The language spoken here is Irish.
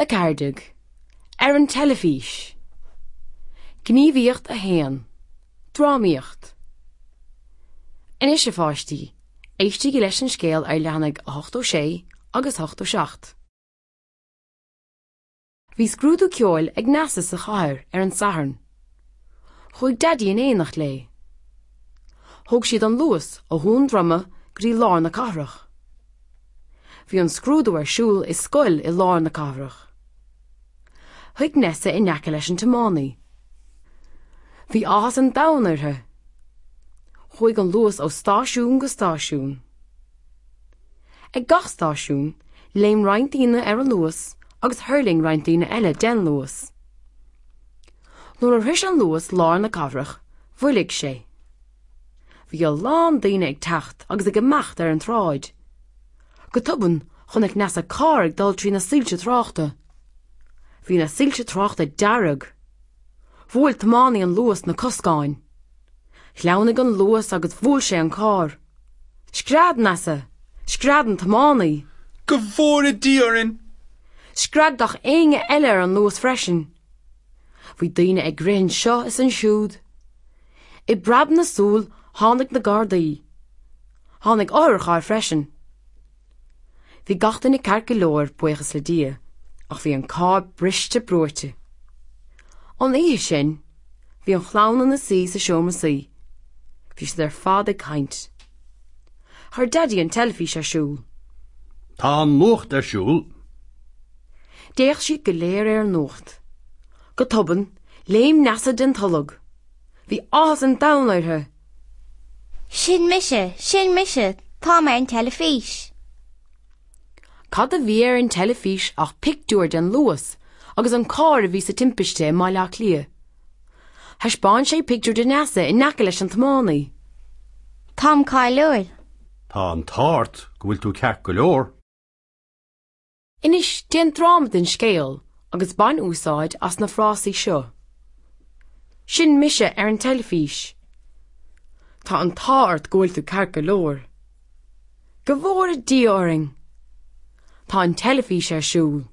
14, Ar an teilifís. Gníomhaíocht 1, Drámaíocht. Anois, a pháistí, éistigí leis an scéal ar leathanaigh 86 agus 87. Bhí scrúdú ceoil ag Neasa sa chathair ar an Satharn. Chuaigh Daidí in éineacht léi. Thóg siad an Luas ó Dhún Droma go dtí lár na cathrach. Bhí an scrúdú ar siúl i scoil i lár na cathrach. Shuigh Neasa in aice leis an tiománaí. Bhí áthas an domhain uirthi. Chuaigh an Luas ó stáisiún go stáisiún. Ag gach stáisiún, léim roinnt daoine ar an Luas agus thuirling roinnt daoine eile den Luas. Nuair a shrois an Luas lár na cathrach, mhoilligh sé. Bhí a lán daoine ag teacht agus ag imeacht ar an tsráid. Go tobann, chonaic Neasa carr ag dul trí na soilse tráchta. Bhí na soilse tráchta dearg. Bhuail tiománaí an Luas na coscáin. Shleamhnaigh an Luas agus bhuail sé an carr. Scread Neasa! Scread an tiománaí! Go bhfóire Dia orainn! Scread gach éinne eile ar an Luas freisin. Bhí daoine ag rith anseo is ansiúd. I bpreab na súl tháinig na Gardaí. Tháinig otharcharr freisin. Bhí gach duine ceart go leor, buíochas le Dia, ach bhí an carr briste brúite. An oíche sin, bhí an chlann ina suí sa seomra suí. Bhí siad ar fad ag caint. Chuir Daidí an teilifís ar siúl. Tá an nuacht ar siúl. D'fhéach siad go léir ar an nuacht. Go tobann, léim Neasa den tolg. Bhí áthas an domhain uirthi. Sin mise, sin mise, tá mé ar an teilifís. Cad a bhí ar an teilifís ach pictiúr den Luas agus an carr a bhí sa timpiste i mBaile Átha Cliath. Thaispeáin sé pictiúr de Neasa in aice leis an tiománaí. Táim cáiliúil. Tá an t-ádh ort go bhfuil tú ceart go leor. Anois déan dráma den scéal agus bain úsáid as na frásaí seo. Sin mise ar an teilifís. Tá an t-ádh ort go bhfuil tú ceart go leor. Go bhfóire Dia orainn! Tá an teilifís ar siúl.